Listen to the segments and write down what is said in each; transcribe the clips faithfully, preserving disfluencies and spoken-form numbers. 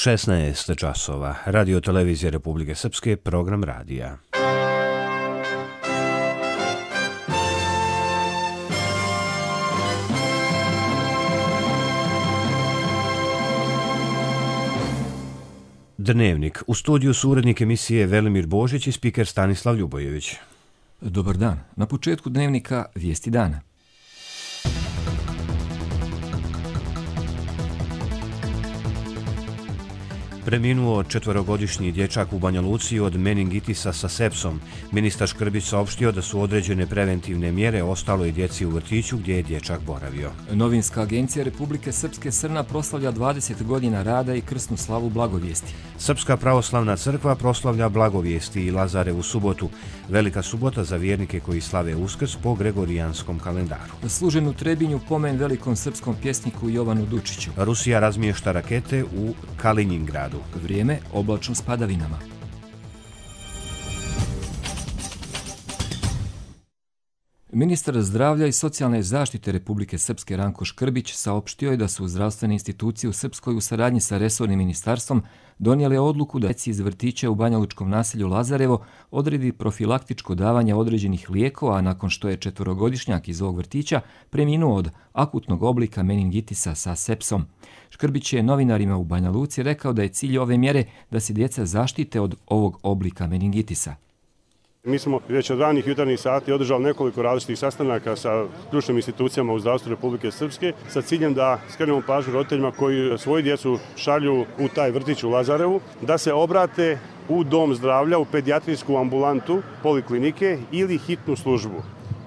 šesnaest časova. Radio televizije Republike Srpske, program radija. Dnevnik. U studiju su urednik emisije Velimir Božić i spiker Stanislav Ljubojević. Dobar dan. Na početku dnevnika vijesti dana. Preminuo četvorogodišnji dječak u Banja Luci od meningitisa sa sepsom. Ministar Škrbić saopštio da su određene preventivne mjere ostaloj djeci u vrtiću gdje je dječak boravio. Novinska agencija Republike Srpske Srna proslavlja dvadeset godina rada i krsnu slavu Blagovijesti. Srpska pravoslavna crkva proslavlja Blagovijesti i Lazarevu subotu. Velika subota za vjernike koji slave Uskrs po gregorijanskom kalendaru. Služen u Trebinju pomen velikom srpskom pjesniku Jovanu Dučiću. Rusija razmješta rakete u Kaliningradu. Vrijeme oblačno s padavinama. Ministar zdravlja i socijalne zaštite Republike Srpske Ranko Škrbić saopštio je da su zdravstvene institucije u Srpskoj u saradnji sa resornim ministarstvom donijele odluku da djeci iz vrtića u banjalučkom naselju Lazarevo odredi profilaktičko davanje određenih lijekova, a nakon što je četvorogodišnjak iz ovog vrtića preminuo od akutnog oblika meningitisa sa sepsom. Škrbić je novinarima u Banja Luci rekao da je cilj ove mjere da se djeca zaštite od ovog oblika meningitisa. Mi smo već od ranih jutarnjih sati održali nekoliko različitih sastanaka sa ključnim institucijama u zdravstvu Republike Srpske sa ciljem da skrenemo pažnju roditeljima koji svoju djecu šalju u taj vrtić u Lazarevu, da se obrate u dom zdravlja, u pedijatrijsku ambulantu, poliklinike ili hitnu službu.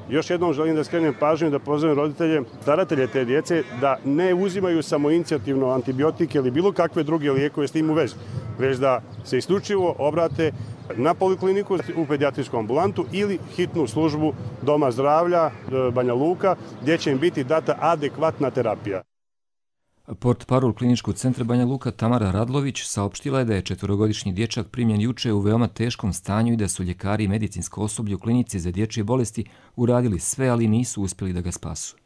Još jednom želim da skrenem pažnju da pozovem roditelje, staratelje te djece da ne uzimaju samoinicijativno antibiotike ili bilo kakve druge lijekove s tim u vezi, već da se isključivo obrate na polikliniku, u pedijatrijsku ambulantu ili hitnu službu Doma zdravlja Banja Luka, gdje će im biti data adekvatna terapija. Portparol Kliničkog centra Banja Luka Tamara Radlović saopštila je da je četvorogodišnji dječak primljen juče u veoma teškom stanju i da su ljekari i medicinsko osoblje u klinici za dječje bolesti uradili sve, ali nisu uspjeli da ga spasu.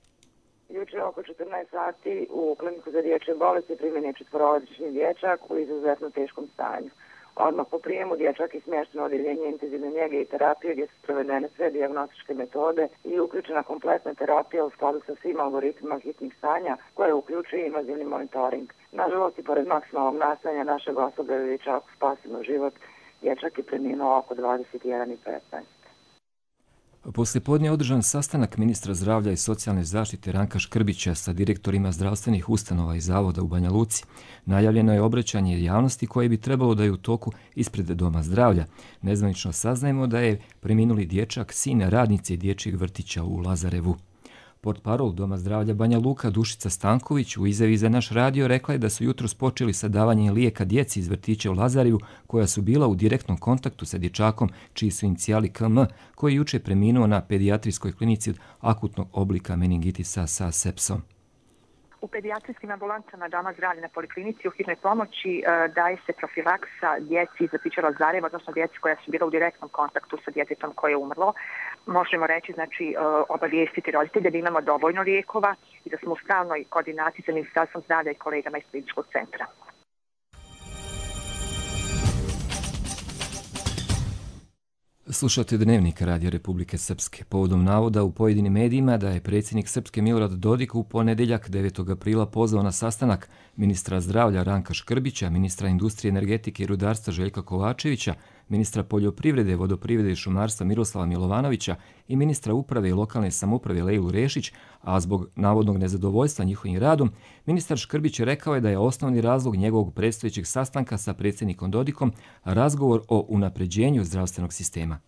Juče oko četrnaest sati u kliniku za dječje bolesti primljen je četvorogodišnji dječak u izuzetno teškom stanju. Odmah po prijemu dječak je smješten u odjeljenje intenzivne njege i terapije gdje su provedene sve dijagnostičke metode i uključena kompletna terapija u skladu sa svim algoritmima hitnih stanja koje uključuje invazivni monitoring. Nažalost i pored maksimalnog nastojanja našeg osoblja da dječaku spasimo život, dječak je preminuo oko dvadeset jedan i petnaest. Poslijepodne je održan sastanak ministra zdravlja i socijalne zaštite Ranka Škrbića sa direktorima zdravstvenih ustanova i zavoda u Banja Luci. Najavljeno je obraćanje javnosti koje bi trebalo da je u toku ispred Doma zdravlja. Nezvanično saznajemo da je preminuli dječak sin radnice dječjeg vrtića u Lazarevu. Portparol Doma zdravlja Banja Luka Dušica Stanković u izjavi za naš radio rekla je da su jutros počeli sa davanjem lijeka djeci iz vrtića u Lazarevu koja su bila u direktnom kontaktu sa dječakom čiji su inicijali K M koji je juče preminuo na pedijatrijskoj klinici od akutnog oblika meningitisa sa sepsom. U pedijatrijskim ambulantama Doma zdravlja na poliklinici u hitnoj pomoći e, daje se profilaksa djeci iz vrtića Lazareva, odnosno djeci koja su bila u direktnom kontaktu sa djetetom koje je umrlo. Možemo reći, znači, e, obavijestiti roditelje da imamo dovoljno lijekova i da smo u stalnoj koordinaciji sa Ministarstvom zdravlja i kolegama iz kliničkog centra. Slušate dnevnik Radio Republike Srpske. Povodom navoda u pojedinim medijima da je predsjednik Srpske Milorad Dodik u ponedjeljak devetog aprila pozvao na sastanak ministra zdravlja Ranka Škrbića, ministra industrije, energetike i rudarstva Željka Kovačevića, ministra poljoprivrede, vodoprivrede i šumarstva Miroslava Milovanovića i ministra uprave i lokalne samouprave Lejlu Rešić, a zbog navodnog nezadovoljstva njihovim radom, ministar Škrbić rekao je da je osnovni razlog njegovog predstojećeg sastanka sa predsjednikom Dodikom razgovor o unapređenju zdravstvenog sistema.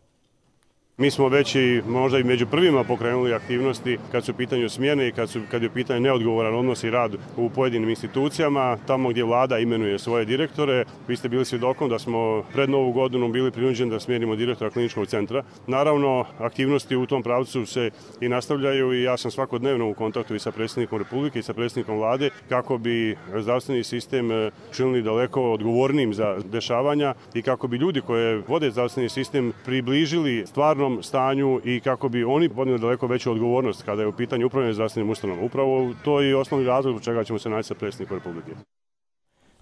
Mi smo već i možda i među prvima pokrenuli aktivnosti kad su u pitanju smjene i kad, su, kad je u pitanju neodgovoran odnos i rad u pojedinim institucijama, tamo gdje vlada imenuje svoje direktore. Vi ste bili svjedokom da smo pred Novu godinu bili prinuđeni da smijenimo direktora kliničkog centra. Naravno, aktivnosti u tom pravcu se i nastavljaju i ja sam svakodnevno u kontaktu i sa predsjednikom Republike i sa predsjednikom vlade kako bi zdravstveni sistem činili daleko odgovornijim za dešavanja i kako bi ljudi koje vode zdravstveni sistem približili stvarno stanju i kako bi oni podnijeli daleko veću odgovornost kada je u pitanju upravljanja zdravstvenim ustanovama. Upravo to je osnovni razlog zbog čega ćemo se naći sa predsjednikom Republike.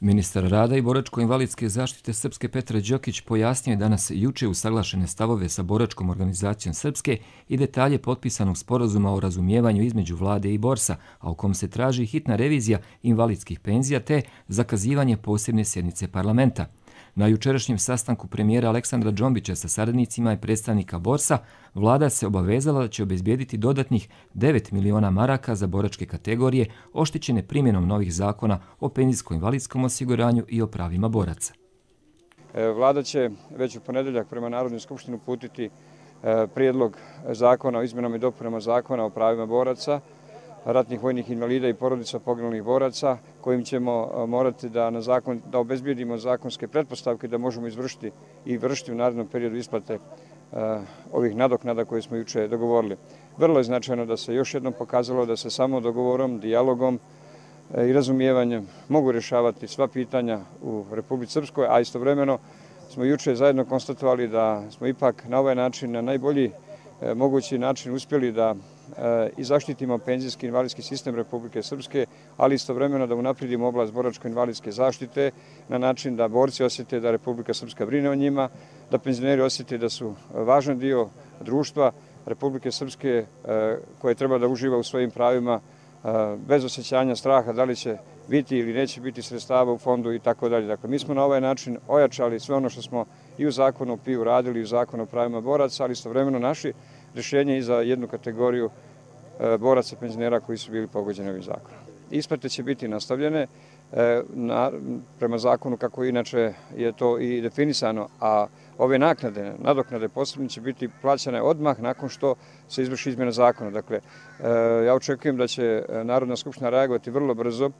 Ministar rada i boračko-invalidske zaštite Srpske Petar Đokić pojasnio je danas juče usaglašene stavove sa boračkom organizacijom Srpske i detalje potpisanog sporazuma o razumijevanju između vlade i borsa, a u kom se traži hitna revizija invalidskih penzija te zakazivanje posebne sjednice parlamenta. Na jučerašnjem sastanku premijera Aleksandra Džombića sa saradnicima i predstavnika borsa, vlada se obavezala da će obezbijediti dodatnih devet miliona maraka za boračke kategorije oštećene primjenom novih zakona o penzijsko-invalidskom osiguranju i o pravima boraca. Vlada će već u ponedeljak prema Narodnoj skupštini uputiti prijedlog zakona o izmjenama i dopunama zakona o pravima boraca, ratnih vojnih invalida i porodica poginulih boraca, kojim ćemo morati da, na zakon, da obezbijedimo zakonske pretpostavke da možemo izvršiti i vršiti u narednom periodu isplate uh, ovih nadoknada koje smo juče dogovorili. Vrlo je značajno da se još jednom pokazalo da se samo dogovorom, dijalogom uh, i razumijevanjem mogu rješavati sva pitanja u Republici Srpskoj, a istovremeno smo juče zajedno konstatovali da smo ipak na ovaj način, na najbolji uh, mogući način uspjeli da i zaštitimo penzijski i invalidski sistem Republike Srpske, ali istovremeno da unaprijedimo oblast boračko-invalidske zaštite na način da borci osjete da Republika Srpska brine o njima, da penzioneri osjete da su važan dio društva Republike Srpske koje treba da uživa u svojim pravima bez osjećanja straha da li će biti ili neće biti sredstava u fondu i tako dalje. Dakle, mi smo na ovaj način ojačali sve ono što smo i u zakonu o P I U radili, i u zakonu o pravima boraca, ali istovremeno naši rješenje i za jednu kategoriju e, boraca penzionera koji su bili pogođeni ovim zakonom. Isplate će biti nastavljene e, na, prema zakonu kako inače je to i definisano, a ove naknade, nadoknade posebno će biti plaćane odmah nakon što se izvrši izmjena zakona. Dakle, e, ja očekujem da će Narodna skupština reagovati vrlo brzo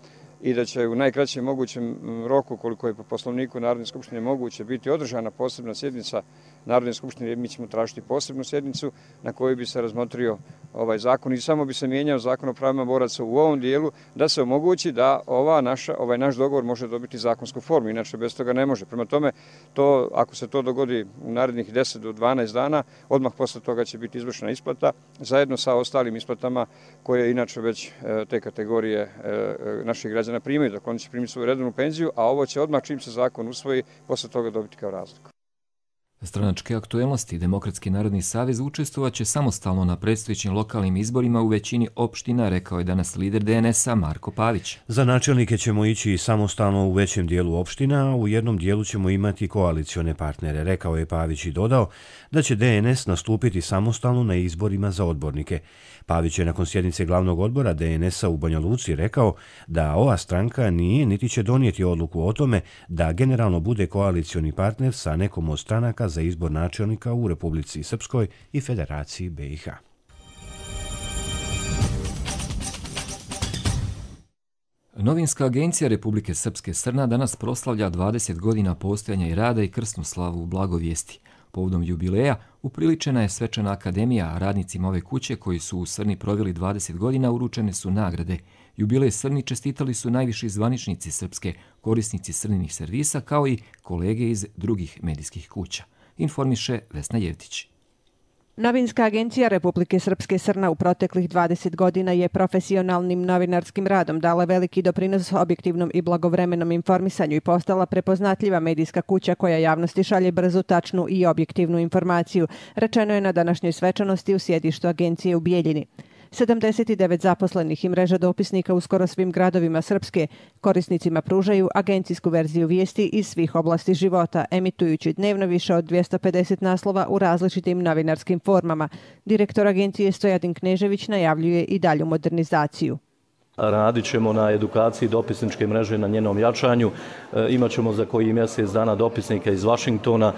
i da će u najkraćem mogućem roku, koliko je po poslovniku Narodne skupštine moguće, biti održana posebna sjednica Narodne skupštine, mi ćemo tražiti posebnu sjednicu na kojoj bi se razmotrio ovaj zakon i samo bi se mijenjao zakon o pravima boraca u ovom dijelu da se omogući da ova naša, ovaj naš dogovor može dobiti zakonsku formu, inače bez toga ne može. Prema tome, to, ako se to dogodi u narednih deset do dvanaest dana, odmah posle toga će biti izvršena isplata, zajedno sa ostalim isplatama koje inače već te kategorije naših građana primaju. Dakle, oni će primiti svoju redovnu penziju, a ovo će odmah čim se zakon usvoji, posle toga dobiti kao razliku. Stranačke aktuelnosti Demokratski narodni savez učestvovaće samostalno na predstojećim lokalnim izborima u većini opština, rekao je danas lider D N S-a Marko Pavić. Za načelnike ćemo ići samostalno u većem dijelu opština, a u jednom dijelu ćemo imati koalicione partnere, rekao je Pavić i dodao da će D N S nastupiti samostalno na izborima za odbornike. Pavić je nakon sjednice glavnog odbora D N S-a u Banja Luci rekao da ova stranka nije niti će donijeti odluku o tome da generalno bude koalicioni partner sa nekom od stranaka za izbor načelnika u Republici Srpskoj i Federaciji B i H. Novinska agencija Republike Srpske Srna danas proslavlja dvadeset godina postojanja i rada i krsnu slavu u Blagovijesti. Povodom jubileja upriličena je svečana akademija, a radnicima ove kuće koji su u Srni proveli dvadeset godina uručene su nagrade. Jubilej Srni čestitali su najviši zvaničnici Srpske, korisnici Srninih servisa, kao i kolege iz drugih medijskih kuća. Informiše Vesna Jevtić. Novinska agencija Republike Srpske Srna u proteklih dvadeset godina je profesionalnim novinarskim radom dala veliki doprinos objektivnom i blagovremenom informisanju i postala prepoznatljiva medijska kuća koja javnosti šalje brzu, tačnu i objektivnu informaciju, rečeno je na današnjoj svečanosti u sjedištu agencije u Bijeljini. sedamdeset devet zaposlenih i mreža dopisnika u skoro svim gradovima Srpske korisnicima pružaju agencijsku verziju vijesti iz svih oblasti života, emitujući dnevno više od dvjesto pedeset naslova u različitim novinarskim formama. Direktor agencije Stojadin Knežević najavljuje i dalju modernizaciju. Radit ćemo na edukaciji dopisničke mreže, na njenom jačanju. E, imat ćemo za koji mjesec dana dopisnika iz Vašingtona,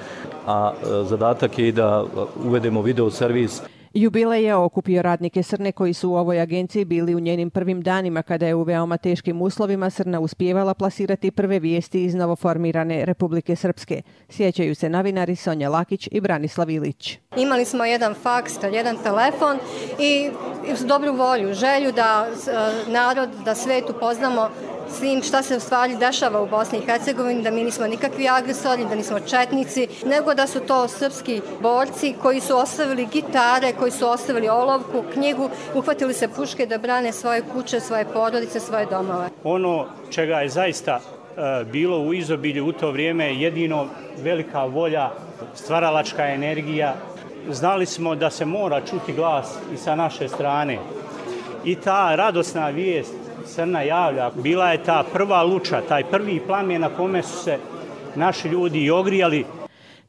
a e, zadatak je i da uvedemo video servis. Jubilej je okupio radnike Srne koji su u ovoj agenciji bili u njenim prvim danima kada je u veoma teškim uslovima Srna uspijevala plasirati prve vijesti iz novoformirane Republike Srpske. Sjećaju se novinari Sonja Lakić i Branislav Ilić. Imali smo jedan faks, jedan telefon i dobru volju, želju da narod, da svet upoznamo s tim šta se u stvari dešava u Bosni i Hercegovini, da mi nismo nikakvi agresori, da nismo četnici, nego da su to srpski borci koji su ostavili gitare, koji su ostavili olovku, knjigu, uhvatili se puške da brane svoje kuće, svoje porodice, svoje domove. Ono čega je zaista bilo u izobilju u to vrijeme jedino velika volja, stvaralačka energija. Znali smo da se mora čuti glas i sa naše strane. I ta radosna vijest Srna javlja, bila je ta prva luča, taj prvi plamen na kome su se naši ljudi i ogrijali.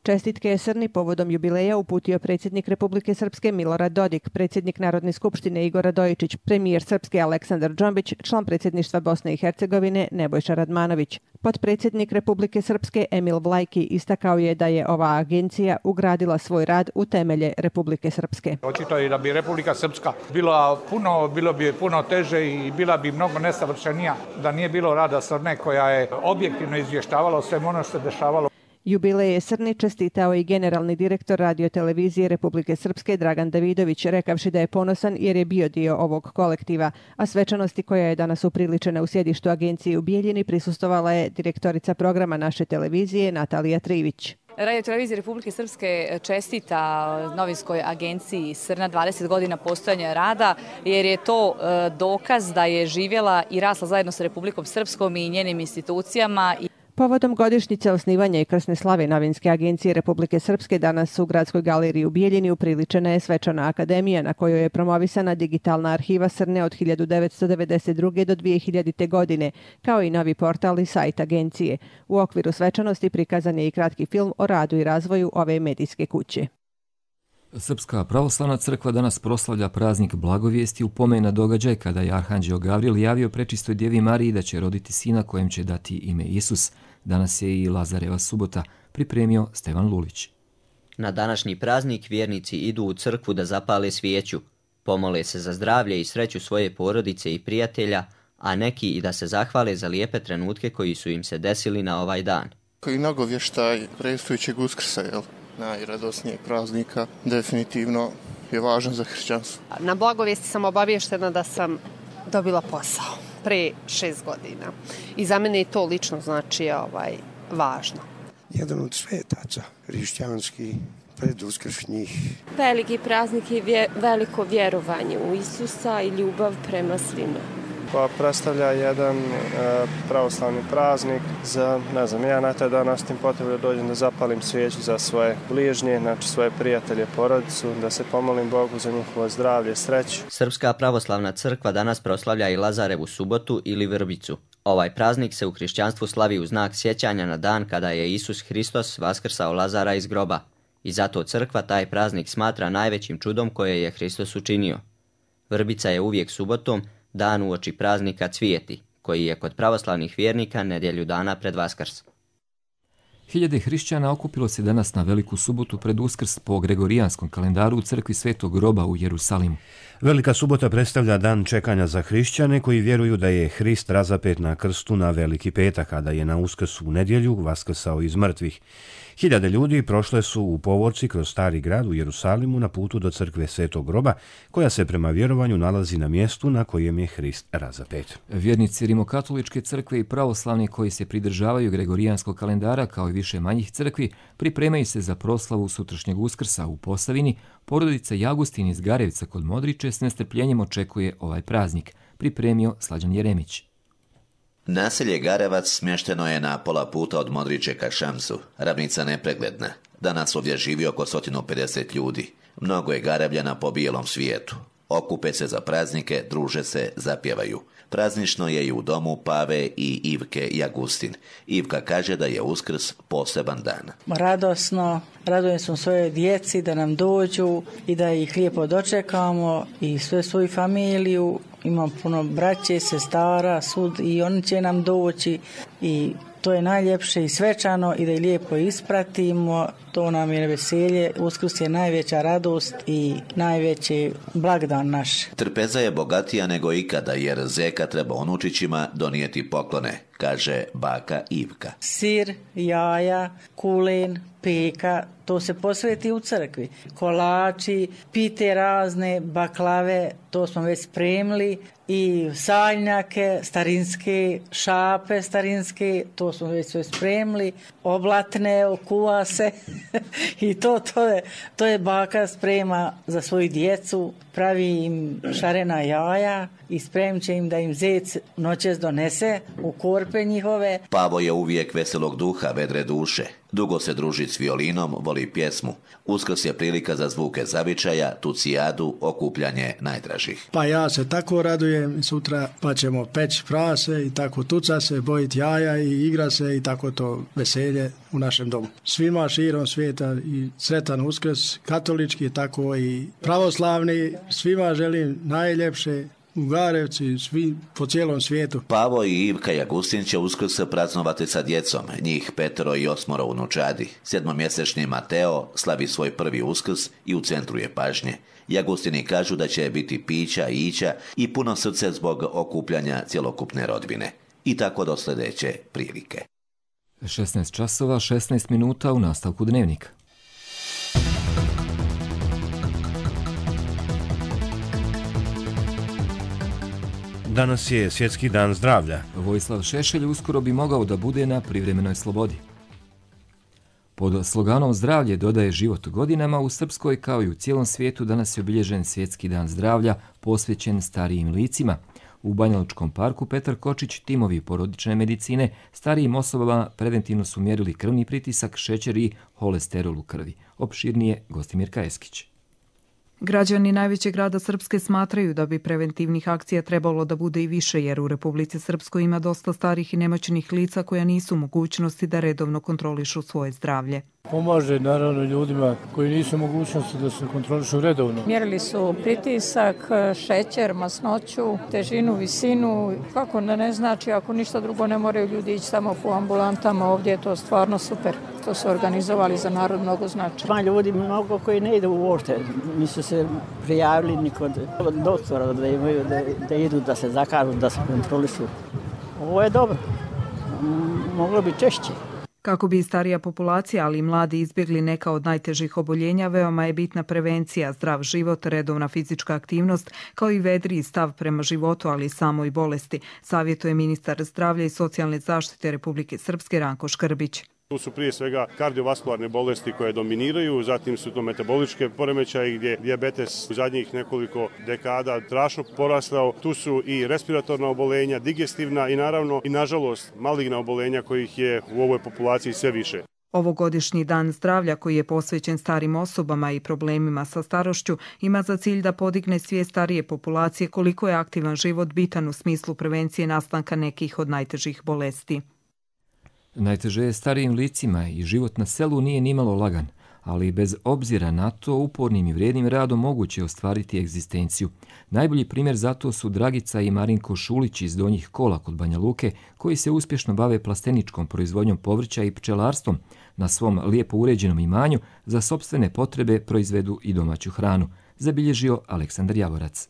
Čestitke je Srni povodom jubileja uputio predsjednik Republike Srpske Milorad Dodik, predsjednik Narodne skupštine Igor Radojičić, premijer Srpske Aleksandar Džombić, član predsjedništva Bosne i Hercegovine Nebojša Radmanović. Potpredsjednik Republike Srpske Emil Vlajki istakao je da je ova agencija ugradila svoj rad u temelje Republike Srpske. Očito je da bi Republika Srpska bila puno, bilo bi puno teže i bila bi mnogo nesavršenija da nije bilo rada Srne koja je objektivno izvještavala o svemu ono što se dešavalo. Jubileje Srni čestitao i generalni direktor radiotelevizije Republike Srpske Dragan Davidović, rekavši da je ponosan jer je bio dio ovog kolektiva, a svečanosti koja je danas upriličena u sjedištu agencije u Bijeljini prisustvovala je direktorica programa naše televizije Natalija Trivić. Radio televizija Republike Srpske čestita novinskoj agenciji Srna dvadeset godina postojanja rada, jer je to dokaz da je živjela i rasla zajedno sa Republikom Srpskom i njenim institucijama. Povodom godišnjice osnivanja i krsne slave novinske agencije Republike Srpske danas u Gradskoj galeriji u Bijeljini upriličena je svečana akademija na kojoj je promovisana digitalna arhiva Srne od hiljadu devetsto devedeset druge do dvije hiljadite. godine, kao i novi portal i sajt agencije. U okviru svečanosti prikazan je i kratki film o radu i razvoju ove medijske kuće. Srpska pravoslavna crkva danas proslavlja praznik Blagovijesti u pomen na događaj kada je arhanđeo Gavril javio prečistoj Djevi Mariji da će roditi sina kojem će dati ime Isus. Danas je i Lazareva subota, pripremio Stevan Lulić. Na današnji praznik vjernici idu u crkvu da zapale svijeću, pomole se za zdravlje i sreću svoje porodice i prijatelja, a neki i da se zahvale za lijepe trenutke koji su im se desili na ovaj dan. Koji nagovještaj predstojećeg Uskrsa, jel? Najradosnijeg praznika, definitivno je važan za hrišćanstvo. Na Blagovijesti sam obavještena da sam dobila posao pre šest godina. I za mene je to lično znači ovaj, važno. Jedan od svetaca hrišćanskih preduskršnjih. Veliki praznik je vje, veliko vjerovanje u Isusa i ljubav prema svima. Pa predstavlja jedan e, pravoslavni praznik za, ne znam, ja na taj dan ostim potrebu da dođem da zapalim svijeću za svoje bližnje, znači svoje prijatelje, porodicu, da se pomolim Bogu za njihovo zdravlje, sreću. Srpska pravoslavna crkva danas proslavlja i Lazarevu subotu ili Vrbicu. Ovaj praznik se u hrišćanstvu slavi u znak sjećanja na dan kada je Isus Hristos vaskrsao Lazara iz groba. I zato crkva taj praznik smatra najvećim čudom koje je Hristos učinio. Vrbica je uvijek subotom, dan uoči praznika Cvijeti, koji je kod pravoslavnih vjernika nedjelju dana pred Vaskrs. Hiljade hrišćana okupilo se danas na Veliku subotu pred Uskrs po gregorijanskom kalendaru u crkvi Svetog groba u Jerusalimu. Velika subota predstavlja dan čekanja za hrišćane koji vjeruju da je Hrist razapet na krstu na Veliki petak, kada je na Uskrs u nedjelju vaskrsao iz mrtvih. Hiljade ljudi prošle su u povorci kroz stari grad u Jerusalimu na putu do crkve Svetog groba, koja se prema vjerovanju nalazi na mjestu na kojem je Hrist razapet. Vjernici Rimokatoličke crkve i pravoslavni koji se pridržavaju gregorijanskog kalendara kao i više manjih crkvi pripremaju se za proslavu sutrašnjeg Uskrsa u Posavini. Porodica Jagustin iz Garevca kod Modriče s nestrpljenjem očekuje ovaj praznik, pripremio Slađan Jeremić. Naselje Garevac smješteno je na pola puta od Modriče ka Šamsu, ravnica nepregledna. Danas ovdje živi oko sto pedeset ljudi. Mnogo je Garevljana po bijelom svijetu. Okupe se za praznike, druže se, zapjevaju. Praznično je i u domu Pave i Ivke Jagustin. Ivka kaže da je Uskrs poseban dan. Radosno, radujem se svoje djeci da nam dođu i da ih lijepo dočekamo i sve svoju familiju. Imam puno braće, sestara, sud i oni će nam doći i to je najljepše i svečano i da ih lijepo ispratimo. To nam je veselje. Uskrs je najveća radost i najveći blagdan naš. Trpeza je bogatija nego ikada jer zeka treba unučićima donijeti poklone, kaže baka Ivka. Sir, jaja, kulen, peka, to se posveti u crkvi. Kolači, pite razne, baklave, to smo već spremili i saljnjake, starinske, šape starinske, to smo već sve spremili, oblatne, okuva se i to, to, je, to je baka sprema za svoju djecu pravi im šarena jaja i spremit će im da im zec noćas donese u korpe njihove. Pavo je uvijek veselog duha, vedre duše. Dugo se druži s violinom, voli pjesmu. Uskrs je prilika za zvuke zavičaja, tucijadu, okupljanje najdražih. Pa ja se tako radujem sutra, pa ćemo peći prase i tako tuca se, bojiti jaja i igra se i tako to veselje u našem domu. Svima širom svijeta i sretan Uskrs, katolički tako i pravoslavni, svima želim najljepše. U Garevci, svi po cijelom svijetu. Pavo i Ivka Jagustin će Uskrs praznovati sa djecom, njih petero i osmoro unučadi. Sedmomjesečni Mateo slavi svoj prvi Uskrs i u centru je pažnje. Jagustini kažu da će biti pića i ića i puno srce zbog okupljanja cjelokupne rodbine. I tako do sljedeće prilike. šesnaest časova, šesnaest minuta u nastavku Dnevnika. Danas je Svjetski dan zdravlja. Vojislav Šešelj uskoro bi mogao da bude na privremenoj slobodi. Pod sloganom Zdravlje dodaje život godinama u Srpskoj kao i u cijelom svijetu danas je obilježen Svjetski dan zdravlja posvećen starijim licima. U Banjalučkom parku Petar Kočić, timovi porodične medicine, starijim osobama preventivno su mjerili krvni pritisak, šećer i holesterol u krvi. Opširnije Gostimir Kajeskić. Građani najvećeg grada Srpske smatraju da bi preventivnih akcija trebalo da bude i više, jer u Republici Srpskoj ima dosta starih i nemoćnih lica koja nisu u mogućnosti da redovno kontrolišu svoje zdravlje. Pomaže naravno ljudima koji nisu u mogućnosti da se kontrolišu redovno. Mjerili su pritisak, šećer, masnoću, težinu, visinu. Kako da ne znači, ako ništa drugo ne moraju ljudi ići samo po ambulantama, ovdje je to stvarno super. To su organizovali za narod, mnogo znači. Ima ljudi mnogo koji ne idu uopšte, nisu se prijavili ni kod doktora da imaju, da, da idu, da se zakažu, da se kontrolišu. Ovo je dobro, moglo bi češće. Kako bi starija populacija, ali i mladi izbjegli neka od najtežih oboljenja, veoma je bitna prevencija, zdrav život, redovna fizička aktivnost, kao i vedriji stav prema životu, ali i samoj bolesti, savjetuje ministar zdravlja i socijalne zaštite Republike Srpske Ranko Škrbić. Tu su prije svega kardiovaskularne bolesti koje dominiraju, zatim su to metaboličke poremećaje gdje dijabetes u zadnjih nekoliko dekada strašno porastao. Tu su i respiratorna obolenja, digestivna i naravno i nažalost maligna obolenja kojih je u ovoj populaciji sve više. Ovogodišnji dan zdravlja koji je posvećen starim osobama i problemima sa starošću ima za cilj da podigne svijest starije populacije koliko je aktivan život bitan u smislu prevencije nastanka nekih od najtežih bolesti. Najteže je starijim licima i život na selu nije nimalo lagan, ali bez obzira na to upornim i vrijednim radom moguće ostvariti egzistenciju. Najbolji primjer za to su Dragica i Marinko Šulić iz Donjih Kola kod Banja Luke, koji se uspješno bave plasteničkom proizvodnjom povrća i pčelarstvom. Na svom lijepo uređenom imanju za sopstvene potrebe proizvedu i domaću hranu, zabilježio Aleksandar Javorac.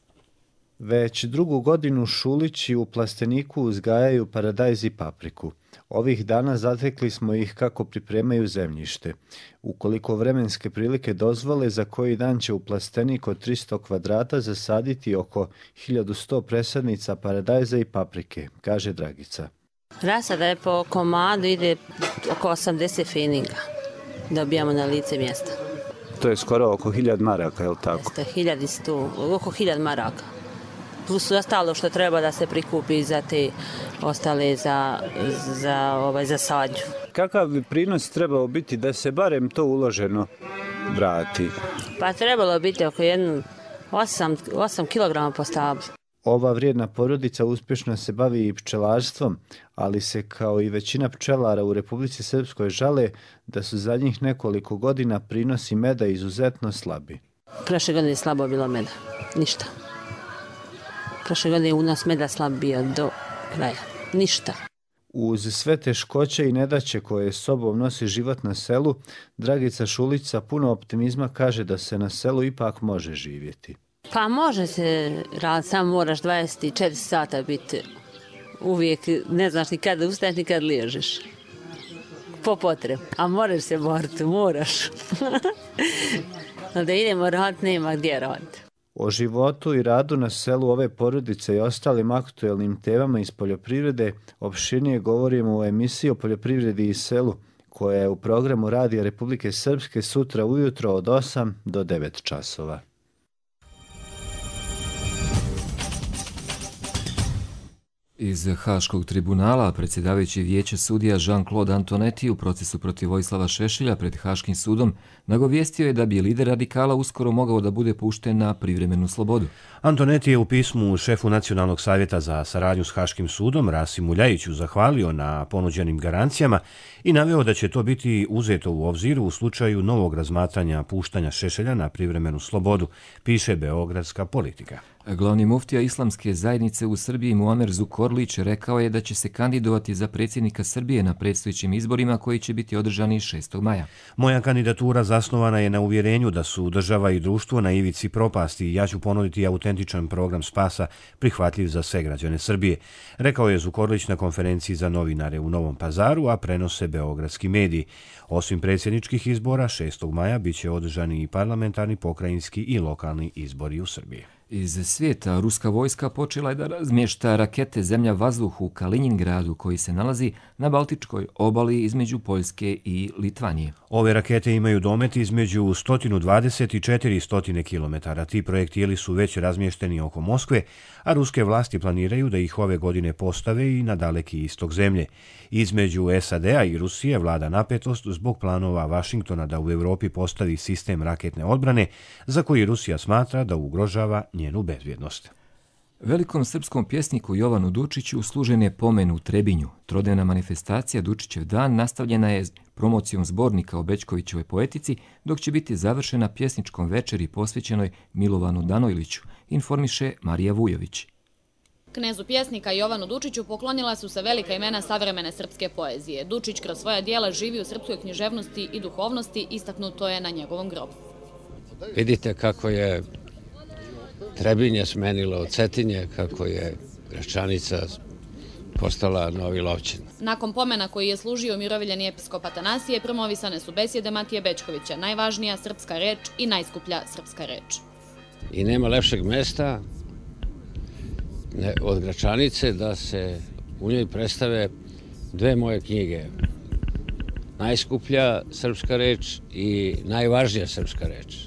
Već drugu godinu Šulići u plasteniku uzgajaju paradajz i papriku. Ovih dana zatekli smo ih kako pripremaju zemljište. Ukoliko vremenske prilike dozvole, za koji dan će u plastenik od tristo kvadrata zasaditi oko hiljadu sto presadnica paradajza i paprike, kaže Dragica. Rasada je po komadu ide oko osamdeset feninga. Dobijamo na lice mjesta. To je skoro oko hiljad maraka, je li tako? Jeste, hiljad i sto, oko hiljad maraka. Plus ostalo što treba da se prikupi za te ostale za, za, ovaj, za sadnju. Kakav bi prinos trebao biti da se barem to uloženo vrati? Pa trebalo biti oko jednu osam kilograma po stablu. Ova vrijedna porodica uspješno se bavi i pčelarstvom, ali se kao i većina pčelara u Republici Srpskoj žale da su zadnjih nekoliko godina prinosi meda izuzetno slabi. Prošle godine je slabo bilo meda, ništa. Prošle godine u nas meda slab bio do kraja, ništa. Uz sve teškoće i nedaće koje sobom nosi život na selu, Dragica Šulić sa puno optimizma kaže da se na selu ipak može živjeti. Pa može se raditi, samo moraš dvadeset četiri sata biti uvijek, ne znaš ni kada ustaješ ni kada liježeš. Po potrebu, a moraš se boriti, moraš. Da idemo raditi, nema gdje raditi. O životu i radu na selu ove porodice i ostalim aktuelnim temama iz poljoprivrede opširnije govorimo u emisiji o poljoprivredi i selu, koja je u programu Radija Republike Srpske sutra ujutro od osam do devet časova. Iz Haškog tribunala predsjedavajući vijeće sudija Jean-Claude Antonetti u procesu protiv Vojislava Šešelja pred Haškim sudom nagovijestio je da bi lider radikala uskoro mogao da bude pušten na privremenu slobodu. Antonetti je u pismu šefu Nacionalnog savjeta za saradnju s Haškim sudom Rasimu Ljajiću zahvalio na ponuđenim garancijama i naveo da će to biti uzeto u obzir u slučaju novog razmatranja puštanja Šešelja na privremenu slobodu, piše Beogradska politika. Glavni muftija islamske zajednice u Srbiji Muamer Zukorlić rekao je da će se kandidovati za predsjednika Srbije na predstojećim izborima koji će biti održani šestog maja. Moja kandidatura zasnovana je na uvjerenju da su država i društvo na ivici propasti i ja ću ponuditi autentičan program spasa prihvatljiv za sve građane Srbije, rekao je Zukorlić na konferenciji za novinare u Novom Pazaru, a prenose beogradski mediji. Osim predsjedničkih izbora, šestog maja biće održani i parlamentarni, pokrajinski i lokalni izbori u Srbiji. Iz svijeta ruska vojska počela je da razmješta rakete zemlja-vazduh u Kaliningradu koji se nalazi na Baltičkoj obali između Poljske i Litvanije. Ove rakete imaju domet između sto dvadeset i četiristo kilometara. Ti projektili su već razmješteni oko Moskve, a ruske vlasti planiraju da ih ove godine postave i na daleki istok zemlje. Između S A D-a i Rusije vlada napetost zbog planova Vašingtona da u Europi postavi sistem raketne odbrane za koji Rusija smatra da ugrožava njenu bezbjednost. Velikom srpskom pjesniku Jovanu Dučiću služen je pomen u Trebinju. Trodnevna manifestacija Dučićev dan nastavljena je promocijom zbornika o Bećkovićevoj poetici, dok će biti završena pjesničkom večeri posvećenoj Milovanu Danojliću, informiše Marija Vujović. Knezu pjesnika Jovanu Dučiću poklonila su se velika imena savremene srpske poezije. Dučić kroz svoja dijela živi u srpskoj književnosti i duhovnosti, istaknuto je na njegovom grobu. Vidite kako je Trebinje smenilo od Cetinje, kako je Gračanica postala Novi Lovćin. Nakon pomena koji je služio miroviljeni episkop Atanasije, promovisane su besjede Matije Bećkovića, najvažnija srpska reč i najskuplja srpska reč. I nema lepšeg mesta od Gračanice da se u njoj predstave dve moje knjige. Najskuplja srpska reč i najvažnija srpska reč.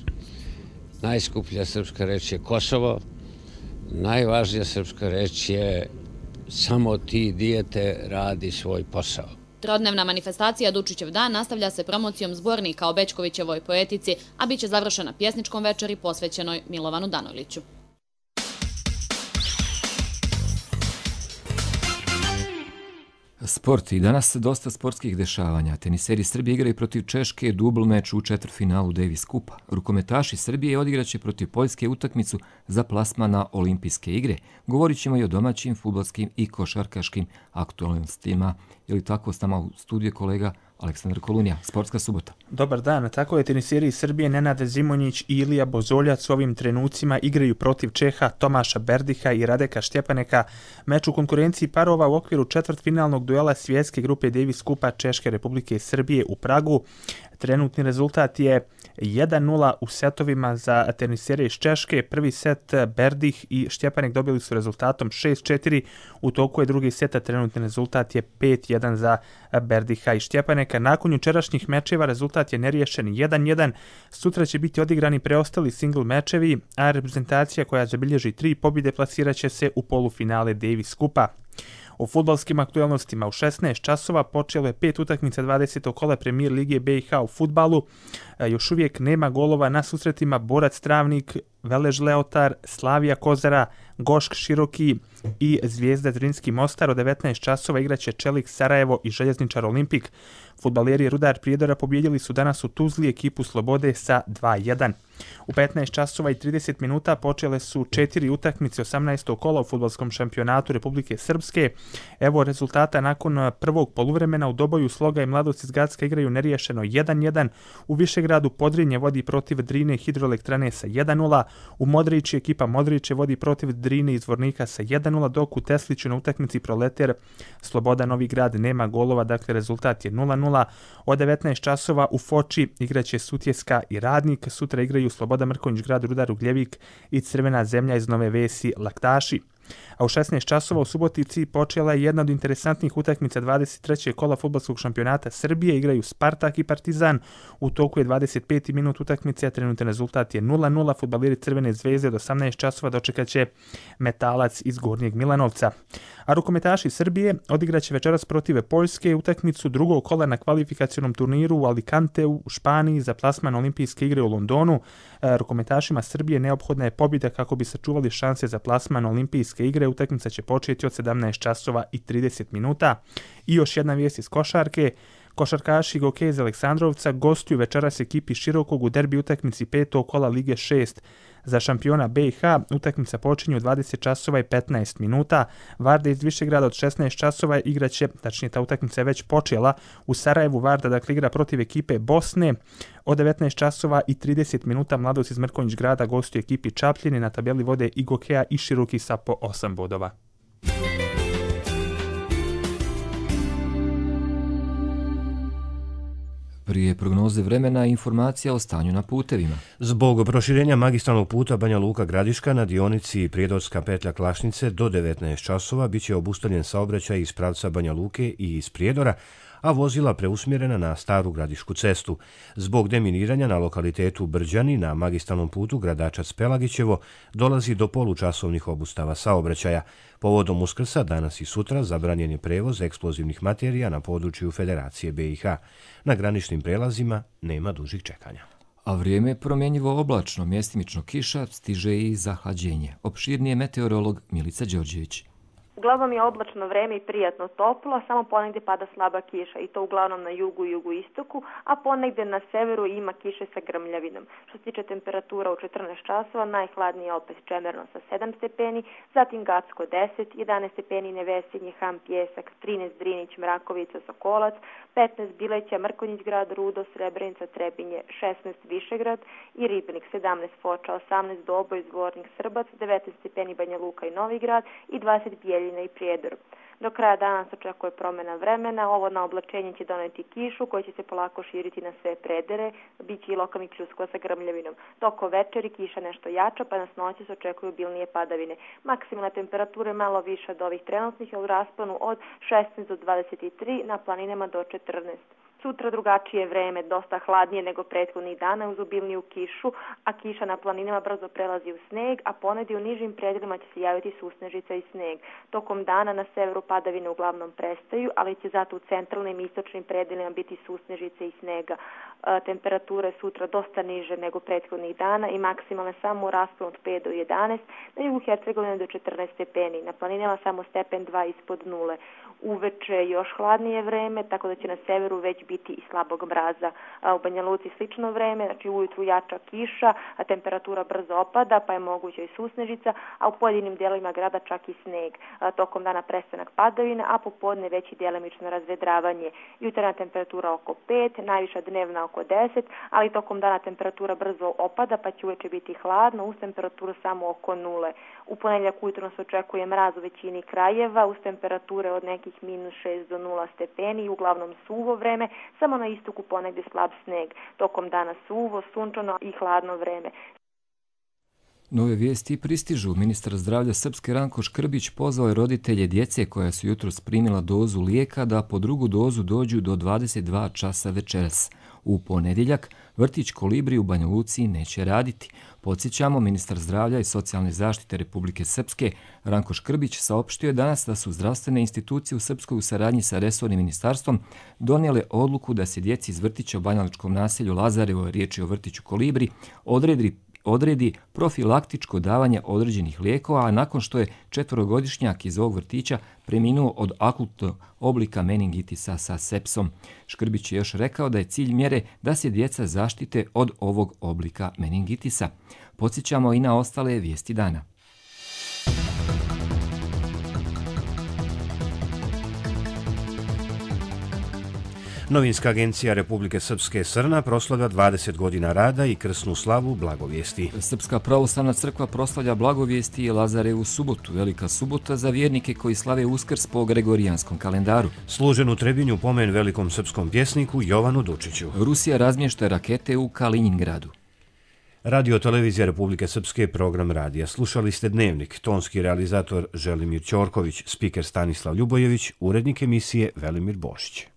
Najskuplja srpska reč je Kosovo, najvažnija srpska reč je samo ti dijete radi svoj posao. Trodnevna manifestacija Dučićev dan nastavlja se promocijom zbornika o Bećkovićevoj poetici, a bit će završena pjesničkom večeri posvećenoj Milovanu Danojliću. Sport. I danas dosta sportskih dešavanja. Teniseri Srbije igraju protiv Češke dubl meč u četvrtfinalu Davis Kupa. Rukometaši Srbije odigraće protiv Poljske utakmicu za plasman na olimpijske igre. Govorit ćemo i o domaćim, fudbalskim i košarkaškim aktualnostima. Je li tako, s nama u studiju kolega Aleksandar Kolunija, Sportska subota. Dobar dan, tako je, teniseri iz Srbije Nenad Zimonjić i Ilija Bozoljac u ovim trenucima igraju protiv Čeha Tomaša Berdiha i Radeka Štjepaneka. Meč u konkurenciji parova u okviru četvrtfinalnog duela svjetske grupe Davis Kupa Češke Republike Srbije u Pragu. Trenutni rezultat je jedan nula u setovima za tenisere iz Češke. Prvi set Berdih i Štjepanek dobili su rezultatom šest četiri. U toku je drugi set, a trenutni rezultat je pet jedan za Berdiha i Štjepaneka. Nakon jučerašnjih mečeva rezultat je neriješen jedan jedan. Sutra će biti odigrani preostali single mečevi, a reprezentacija koja zabilježi tri pobjede plasirat će se u polufinale Davis Kupa. U fudbalskim aktualnostima u šesnaest časova počelo je pet utakmica dvadesetog kola Premier Lige B i H u fudbalu. Još uvijek nema golova na susretima Borac Travnik, Velež Leotar, Slavija Kozara, Gošk Široki i Zvijezda Zrinski Mostar. Od devetnaest časova igraće Čelik Sarajevo i Željezničar Olimpik. Fudbaleri Rudar Prijedora pobjedili su danas u Tuzli ekipu Slobode sa dva jedan. U petnaest časova i trideset minuta počele su četiri utakmice osamnaestog kola u fudbalskom šampionatu Republike Srpske. Evo rezultata nakon prvog poluvremena. U Doboju Sloga i Mladost iz Gacka igraju neriješeno jedan jedan. U Višegradu Podrinje vodi protiv Drine Hidroelektrane sa jedan nula. U Modrići ekipa Modriće vodi protiv Drine iz Vornika sa jedan nula, dok u Tesliću na utakmici Proleter Sloboda Novi Grad nema golova, dakle rezultat je nula nula. Od devetnaest časova u Foči igraće Sutjeska i Radnik. Sutra igraju Sloboda Mrkonjić Grad, Rudar Ugljevik i Crvena zemlja iz Nove Vesi Laktaši. A u šesnaest časova u Subotici počela je jedna od interesantnih utakmica dvadeset trećeg kola fudbalskog šampionata Srbije. Igraju Spartak i Partizan. U toku je dvadeset peti minut utakmice, a trenutni rezultat je nula nula. Fudbaleri Crvene zvezde od osamnaest časova dočekat će Metalac iz Gornjeg Milanovca. A rukometaši Srbije odigraće večeras protiv Poljske utakmicu drugog kola na kvalifikacionom turniru u Alicanteu u Španiji za plasman olimpijske igre u Londonu. Rukometašima Srbije neophodna je pobjeda kako bi sačuvali šanse za plasman olimpijske igre. Utakmica će početi od sedamnaest časova i trideset minuta. I još jedna vijest iz košarke. Košarkaši Goke iz Aleksandrovca gostuju večeras ekipi Širokog u derbi utakmici petog kola Lige šest. Za šampiona B i H utakmica počinje u dvadeset časova i petnaest minuta. Varda iz Višegrada od šesnaest časova igraće, tačnije ta utakmica je već počela, u Sarajevu. Varda dakle igra protiv ekipe Bosne. Od devetnaest časova i trideset minuta Mladost iz Mrkonjić Grada gostuje ekipi Čapljine. Na tabeli vode i Gokea i Široki sa po osam bodova. Prije prognoze vremena informacija o stanju na putevima. Zbog proširenja magistralnog puta Banja Luka Gradiška na dionici Prijedorska petlja Klašnice do devetnaest časova biće obustavljen saobraćaj iz pravca Banja Luke i iz Prijedora, a vozila preusmjerena na Staru Gradišku cestu. Zbog deminiranja na lokalitetu Brđani na magistralnom putu Gradačac-Pelagićevo dolazi do polučasovnih obustava saobraćaja. Povodom Uskrsa danas i sutra zabranjen je prevoz eksplozivnih materija na području Federacije B i H. Na graničnim prelazima nema dužih čekanja. A vrijeme je promjenjivo oblačno, mjestimično kiša, stiže i zahlađenje. Opširnije meteorolog Milica Đorđević. Uglavnom je oblačno vreme i prijatno toplo, samo ponegdje pada slaba kiša i to uglavnom na jugu i jugoistoku, a ponegdje na severu ima kiše sa grmljavinom. Što se tiče temperatura u četrnaest časova, najhladnije je opet Čemerno sa sedam stepeni, zatim Gacko deset, jedanaest stepeni Nevesinje, Ham, Pjesak, trinaest Drinić, Mrakovica, Sokolac, petnaest Bileća, Mrkonjić Grad, Rudo, Srebrenica, Trebinje, šesnaest Višegrad i Ribnik, sedamnaest Foča, osamnaest Doboj, Zvornik, Srbac, devetnaest stepeni Banja Luka i Novi Grad i dvadeset Bijeljina i Prijedor. Do kraja dana se očekuje promjena vremena, ovo na oblačenje će doneti kišu koja će se polako širiti na sve predere, bit će i lokalnih pljuskova sa grmljavinom. Toko večeri kiša nešto jača, pa na noći se očekuju obilnije padavine. Maksimalna temperatura je malo više od ovih trenutnih, u rasponu od šesnaest do dvadeset tri, na planinama do četrnaest. Sutra drugačije vreme, dosta hladnije nego prethodnih dana uz obilniju kišu, a kiša na planinama brzo prelazi u sneg, a ponegdje u nižim predjelima će se javiti susnežica i sneg. Tokom dana na severu padavine uglavnom prestaju, ali će zato u centralnim i istočnim predjelima biti susnežice i snega. E, temperature sutra dosta niže nego prethodnih dana i maksimalne samo u rasponu od pet do jedanaest, na jugu Hercegovine do četrnaest stepeni, na planinama samo stepen dva ispod nule. Uveče još hladnije vreme, tako da će na severu već biti i slabog mraza. A u Banja Luci slično vreme, znači ujutru jača kiša, a temperatura brzo opada, pa je moguća i susnežica, a u pojedinim dijelovima grada čak i sneg. A, tokom dana prestanak padavina, a popodne već i djelimično razvedravanje. Jutarnja temperatura oko pet, najviša dnevna oko deset, ali tokom dana temperatura brzo opada, pa će uveče biti hladno, uz temperaturu samo oko nule. U ponedjeljak ujutro se očekuje mraz u većini krajeva, uz temperature od nekih minus šest do nula stepeni, uglavnom suvo vreme, samo na istoku ponegdje slab sneg. Tokom dana suvo, sunčano i hladno vreme. Nove vijesti pristižu. Ministar zdravlja Srpske Ranko Škrbić pozvao je roditelje djece koja su jutros primila dozu lijeka da po drugu dozu dođu do dvadeset dva časa večeras. U ponedjeljak vrtić Kolibri u Banja Luci neće raditi. Podsjećamo, ministar zdravlja i socijalne zaštite Republike Srpske Ranko Škrbić saopštio je danas da su zdravstvene institucije u Srpskoj u saradnji sa resornim ministarstvom donijele odluku da se djeci iz vrtića u banjalučkom naselju Lazarevo, riječ je o vrtiću Kolibri, odredi odredi profilaktičko davanje određenih lijekova, a nakon što je četvorogodišnjak iz ovog vrtića preminuo od akutnog oblika meningitisa sa sepsom. Škrbić je još rekao da je cilj mjere da se djeca zaštite od ovog oblika meningitisa. Podsjećamo i na ostale vijesti dana. Novinska agencija Republike Srpske Srna proslavlja dvadeset godina rada i krsnu slavu Blagovijesti. Srpska pravoslavna crkva proslavlja Blagovijesti i Lazarevu subotu, velika subota za vjernike koji slave Uskrs po gregorijanskom kalendaru. Služen u Trebinju pomen velikom srpskom pjesniku Jovanu Dučiću. Rusija razmješta rakete u Kaliningradu. Radio televizija Republike Srpske, program radija. Slušali ste Dnevnik, tonski realizator Želimir Ćorković, spiker Stanislav Ljubojević, urednik emisije Velimir Bošić.